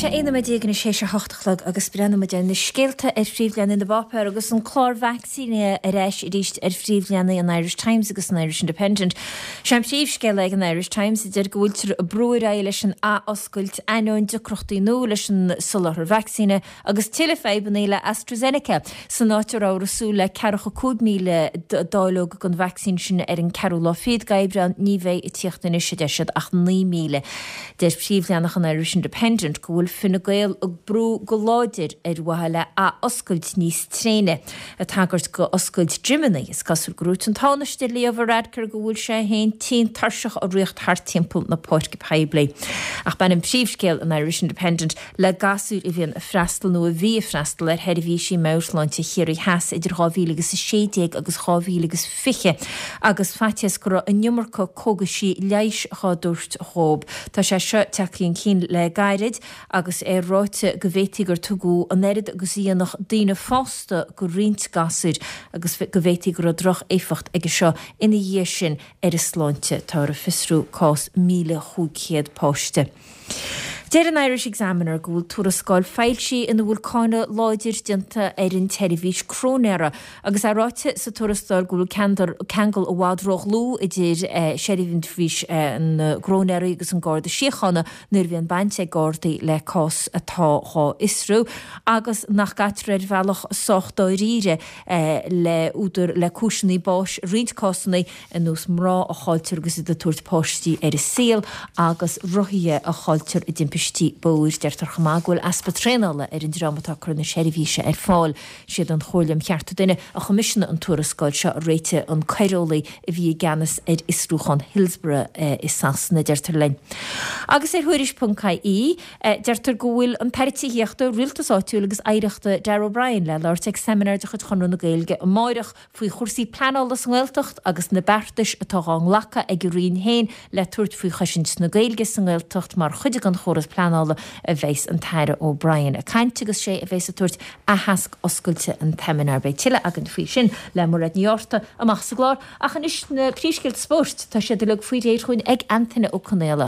Tá sé 11 nóiméad anois théis a 8 a chlog agus breathnóidh muid ar na scéalta ar phríomhleathanaigh na bpáipéar agus an clár vacsaínithe ar ais arís ar phríomhleathanaigh an Irish Times agus an Irish Independent. Sé an príomhscéal ag an Irish Times a deir go bhfuiltear ag brú ar aghaidh leis an athoscailt ainneoin deacrachtaí nua leis an soláthar vacsaíne Agus tuilleadh fadhbanna le AstraZeneca. San áit a rabhthar ag súil le 45,000 dáileog den vacsaín sin ar an ceathrú lá fichead d'Aibreán, ní bheidh ag tíocht anois, a deir siad, ach 9,000. Deir príomhleathanach an Irish Independent go bhfuil Fine Gael ag brú go láidir ar mhaithe le athoscailt níos tréine. Ag tagairt do oscailt gymeanna, is cosúil gur dhúirt an Tánaiste Leo Varadkar go bhfuil sé féin tinn tuirseach ag ritheacht thart timpeall na páirce poiblí. Ach baineann príomhscéal an Irish Independent le gasúir a bhíonn ag freastal nó a bhí ag freastal ar sheirbhísí meabhairshláinte Chiarraí Theas idir 2016 agus 2020 agus faitíos go raibh an iomarca cógaisí leighis dhá dtabhairt dhóib. Tá sé seo tagtha chun cinn le gairid agus é ráite go bhféadfaí gur tugadh an oiread agus a dhéanfadh daoine fásta go roinnt gasúir agus go bhféadfaí go raibh droch-éifeacht aige seo ina dhiaidh sin ar a sláinte. Táthar ag fiosrú cás 1,500 páiste. Deir an Irish Examiner go bhfuil tuarascáil foilsithe ina bhfuil cáineadh láidir déanta ar an tseirbhís cróinéara agus é ráite sa tuarascáil go bhfuil ceangal i bhfad ródhlúth idir seirbhís na gcróinéirí agus an Garda Síochána nuair a bhíonn baint ag Gardaí le cás atá dhá fhiosrú agus nach gcaitear ar bhealach sách dáiríre le údar le cúiseanna báis i roinnt cásanna. ar nós mná a chailltear agus iad ag tabhairt páistí ar an saol agus rothaithe a chailltear i dtimpistí bóthair. Deirtear chomh maith go bhfuil easpa traenála ar an dream atá ag cur na seirbhíse ar fáil. Siad an Chomhairle um Chearta Duine a choimisiúnaigh an tuarascáil seo a réitigh an coireolaí a bhí i gceannas ar fhiosrúchán Hillsborough i Sasana, deirtear linn. Agus ar Thuairisc.ie, deirtear go bhfuil an tAire Tithíochta, Rialtais Áitiúil agus Oidhreachta Darragh O'Brien le labhairt ag seimineár de chuid Chonradh na Gaeilge amáireach faoi chúrsaí pleanála sa nGaeltacht agus na beartais atá dhá nglacadh ag a Roinn féin le tabhairt faoi chosaint na Gaeilge sa nGaeltacht mar chuid den chóras pleanála a bheas an tAire O'Brien ag caint agus sé a bheas ag tabhairt aitheasc oscailte an tseimineáir. Beidh tuilleadh againn faoi sin le Mairéad Ní Fhátharta amach sa gclár ach anois na príomhscéalta spóirt, tá siad uilig faoi réir chugainn ag Antaine Ó Conaola.